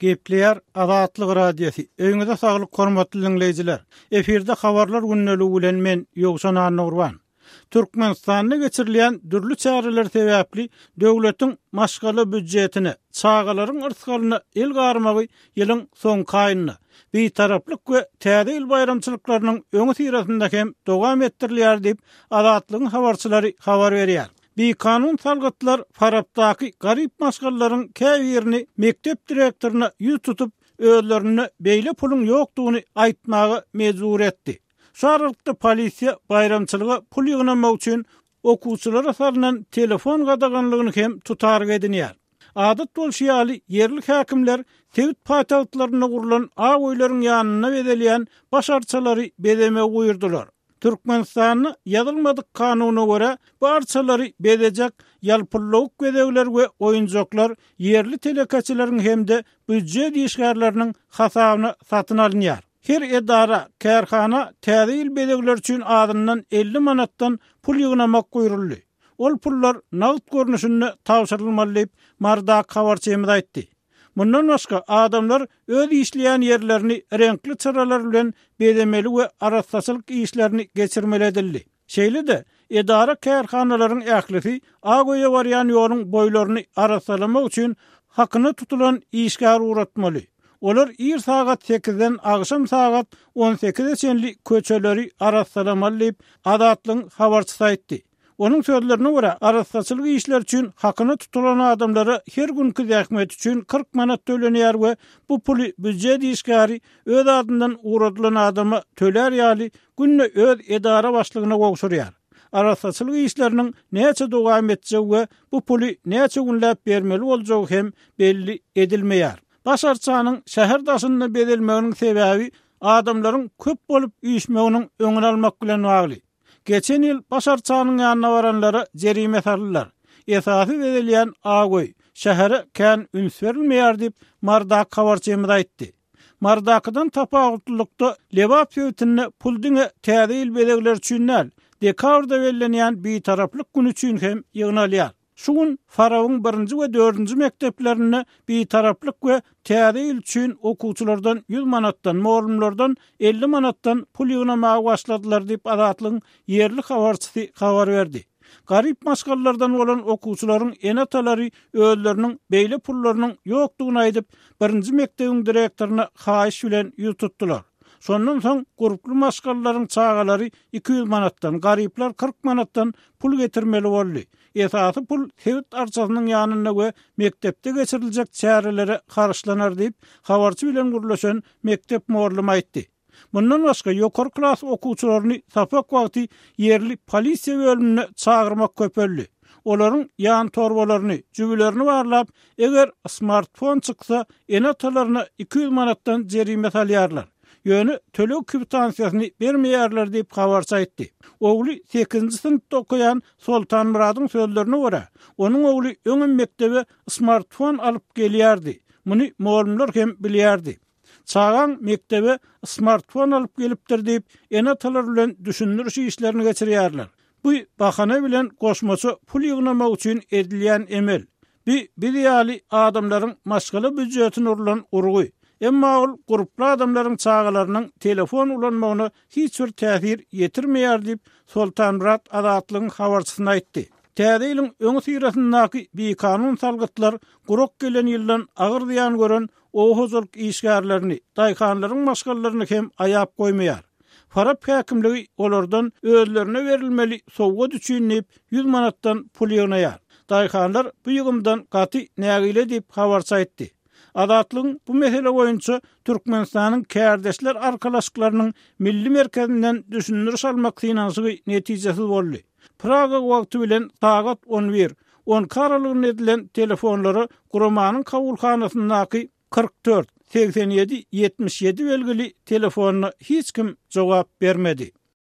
Gepleýär Azatlyk Radiosy. Öýüňize saglyk hormatly diňleýjiler. Efirde habarlar gündeligi bilen men Ýowşan Annagurban. Türkmenistanda geçirilýän dürli çäreler sebäpli döwletiň maşgala býudjetine, çagalaryň yrsgalyna el garmagy ýylyň soňky aýynda, Bitaraplyk we Täze ýyl baýramçylyklarynyň öňüsyrasynda hem dowam etdirilýär diýip, Azatlygyň habarçylary habar berýär. Bikanun salgytlar Farapdaky garyp maşgalalaryň käbirini mekdep direktoryna ýüz tutup, özlerinde beýle puluň ýokdugyny aýtmaga mejbur etdi. Şu aralykda polisiýa baýramçylyga pul ýygnamak üçin okuwçylara salnan telefon gadaganlygyny hem tutaryk edinýär. Adat bolşy ýaly, ýerli häkimler sebit paýtagtlarynda gurlan ak öýleriň ýanynda bezelýän baş arçalary bezemegi buýurdylar. Türkmenistanda ýazylmadyk kanuna görä, bu arçalary bezejek ýalpyllawuk bezegler we oýunjaklar ýerli telekeçileriň hem-de býujet işgärleriniň hasabyna satyn alynýar. Her edara, kärhana täze ýyl bezegleri üçin azyndan 50 manatdan pul ýygnamak buýruldy. Ol pullar nagt görnüşinde tabşyrylmaly diýip, Marydaky habarçymyz aýtdy. Mundan başga, adamlar öz işleýän ýerlerini reňkli çyralar bilen bezemeli we arassaçylyk işlerini geçirmeli edildi. Şeýle-de, edara-kärhanalaryň ählisi Ak öýe barýan ýoluň boýlaryny arassalamak üçin hakyna tutulan işgär ugratmaly. Olar ir sagat sekizden agşam sagat on sekize çenli köçeleri arassalamaly diýip, Azatlygyň habarçysy aýtdy. Onuň sözlerine görä, arassaçylyk işleri üçin hakyna tutulan adamlara her günki zähmeti üçin 40 manat tölenýär we bu puly býujet işgäri öz adyndan ugradylan adama tölär ýaly günde öz edara başlygyna gowşurýar. Arassaçylyk işleriniň näçe dowam etjegi we bu puly näçe günläp bermeli boljagy hem belli edilmeýär. Baş arçanyň şäher daşynda bezelmeginiň sebäbi adamlaryň köp bolup üýşmeginiň öňüni almak bilen bagly. Geçen ýyl baş arçanyň ýanyna baranlara jerime saldylar. Esasy bezelýän ak öý, şähere kän üns berilmeýär diýip, Marydaky habarçymyz aýtdy. Marydakydan tapawutlylykda, Lebap sebitinde pul diňe Täze ýyl bezegleri üçin däl, dekabrda bellenýän Bitaraplyk güni üçin hem ýygnalýar. Şu gün Farabyň birinji we dördünji mekdeplerinde Bitaraplyk we Täze ýyl üçin okuwçylardan 100 manatdan, mugallymlardan 50 manatdan pul ýygnamaga başladylar diýip, Azatlygyň ýerli habarçysy habar berdi. Garyp maşgalalardan bolan okuwçylaryň ene-atalary özleriniň beýle pullarynyň ýokdugyny aýdyp, birinji mekdebiň direktoryna haýyş bilen ýüz tutdular. Şondan soň gurply maşgalalaryň çagalary 200 manatdan, garyplar 40 manatdan pul getirmeli boldy. Esasy pul sebit arçasynyň ýanynda we mekdepde geçiriljek çärelere harçlanar diýip, habarçy bilen gürleşen mekdep mugallymy aýtdy. Mundan başga, ýokary klas okuwçylaryny sapak wagty ýerli polisiýa bölümine çagyrmak köpeldi. Olaryň ýan torbalaryny, jübülerini barlap, eger smartfon çyksa, ene-atalaryna 200 manatdan jerime salýarlar. Ýöne töleg kwitansiýasyny bermeýärler diýip, habarçy aýtdy. Ogly sekizinji synpda okaýan Soltanmyradyň sözlerine görä, onuň ogly öňem mekdebe smartfon alyp gelýärdi. Muny mugallymlar hem bilýärdi. Çagaň mekdebe smartfon alyp gelipdir diýip, ene-atalar bilen düşündiriş işlerini geçirýärler. Bu bahana bilen goşmaça pul ýygnamak üçin edilýän emel. Bi biz ýaly adamlaryň maşgala býujetine urlan urgy. Emma ol gurply adamlaryň çagalarynyň telefon ulanmagyna hiç bir täsir ýetirmeýär diýip, Soltanmyrat Azatlygyň habarçysyna aýtdy. Täze ýylyň öňüsyrasyndaky bikanun salgytlar gurak gelen ýyldan agyr zyýan gören oba hojalyk işgärlerini, daýhanlaryň maşgalalaryny hem aýap goýmaýar. Farap häkimligi olardan özlerine berilmeli sowgat üçin diýip, 100 manatdan pul ýygnaýar. Daýhanlar bu ýygymdan gaty nägile diýip, habarçy aýtdy. Azatlygyň bu mesele boýunça Türkmenistanyň Kärdeşler arkalaşyklarynyň Milli merkezinden düşündiriş almak synanyşygy netijesiz boldy. Praga wagty bilen sagat on bir, on iki aralygynda edilen telefonlara guramanyň kabulhanasyndaky 44, 87, 77 belgili telefonyna hiç kim jogap bermedi.